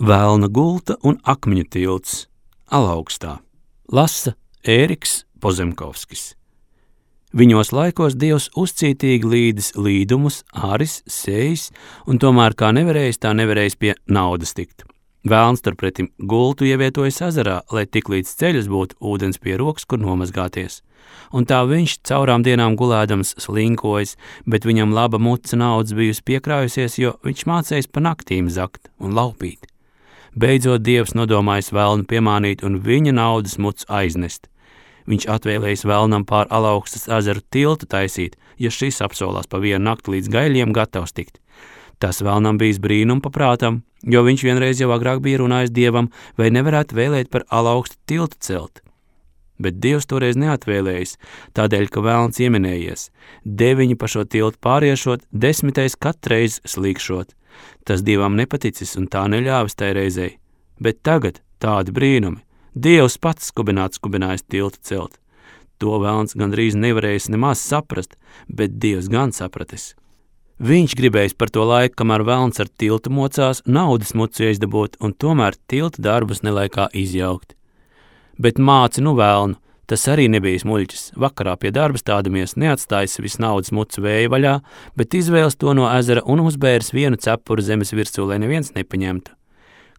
Velna gulta un akmeņu tilts Alaugstā. Lasa Ēriks Pozemkovskis. Viņos laikos Dievs uzcītīgi līdis līdumus, āris, sējis, un tomēr kā nevarējis, tā nevarējis pie naudas tikt. Velns turpretim gultu ievietojas ezerā, lai tik līdz ceļus būtu ūdens pie rokas, kur nomazgāties. Un tā viņš caurām dienām gulēdams slinkojas, bet viņam laba muca naudas bijusi piekrājusies, jo viņš mācējis pa naktīm zakt un laupīt. Beidzot Dievs nodomājis velnu piemānīt un viņa naudas mucu aiznest. Viņš atvēlējis velnam pār Alaugstas ezeru tiltu taisīt, ja šis apsolās pa vienu nakti līdz Gaiļiem gatavs tikt. Tas velnam bijis brīnum paprātam, jo viņš vienreiz jau agrāk bija runājis Dievam, vai nevarētu vēlēt par Alaugstu tiltu celt. Bet Dievs toreiz neatvēlējis, tādēļ, ka velns ieminējies, 9 pa šo tiltu pāriešot, 10. katreiz slīkšot. Tas Dievam nepaticis un tā neļāvis tai reizei. Bet tagad tādi brīnumi. Dievs pats skubinājis tiltu celt. To velns gandrīz nevarējis nemaz saprast, bet Dievs gan sapratis. Viņš gribējis par to laiku, kamēr velns ar tiltu mocās, naudas mucu iezdabūt un tomēr tiltu darbus nelaikā izjaukt. Bet māci velnu, tas arī nebijis muļķis. Vakarā pie darba stādamies, neatstājis visu naudas mucu vēja vaļā, bet izvēles to no ezera un uzbēris vienu cepuru zemes virsū, lai neviens nepaņemtu.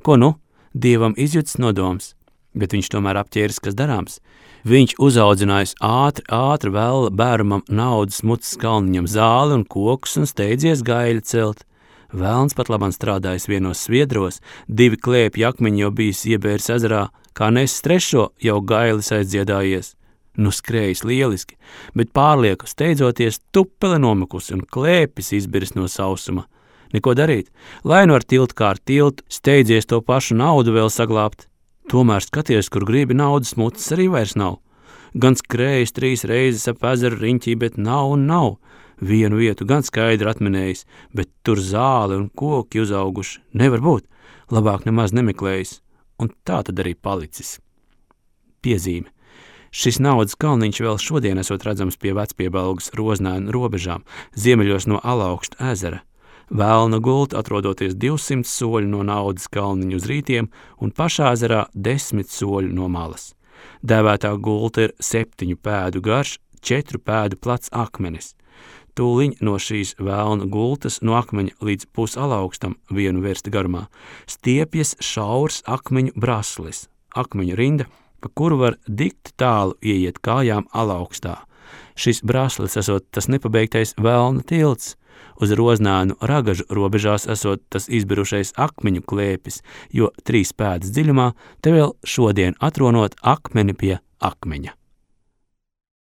Ko nu? Dievam izjutis nodoms, bet viņš tomēr apķēris, kas darāms. Viņš uzaudzinājis ātri vēl bērnam naudas mucas kalniņam zāli un kokus un steidzies Gaiļu celt. Velns pat labam strādājis vienos sviedros, 2 klēpju akmeņi jau bijis iebēris ezerā, kā nesis 3. jau Gailis aizdziedājies. Nu skrējis lieliski, bet pārlieku steidzoties tupele nomakusi un klēpis izbiris no sausuma. Neko darīt, lai nu ar tiltu kā ar tiltu, steidzies to pašu naudu vēl saglābt. Tomēr skaties, kur gribi naudas mucas arī vairs nav. Gan skrējis 3 reizes ap ezeru riņķī, bet nav. Vienu vietu gan skaidri atminējis, bet tur zāle un koki uzauguši. Nevar būt, labāk nemaz nemeklējis. Un tā tad arī palicis. Piezīme. Šis naudas kalniņš vēl šodien esot redzams pie Vecpiebalgas Roznēnu robežām, ziemeļos no Alaugsta ezera. Velna gulta atrodoties 200 soļu no naudas kalniņu uz rītiem un pašā ezerā 10 soļu no malas. Dēvētā gulta ir 7 pēdu garš, 4 pēdu plats akmenis. Tūliņ no šīs velna gultas no akmeņa līdz pusalaugstam 1 versta garumā stiepjas šaurs akmeņu braslis, akmeņu rinda, pa kuru var dikti tālu ieiet kājām Alaugstā. Šis braslis esot tas nepabeigtais velna tilts, uz Roznēnu Ragažu robežās esot tas izbirušais akmeņu klēpis, jo 3 pēdas dziļumā te vēl šodien atronot akmeni pie akmeņa.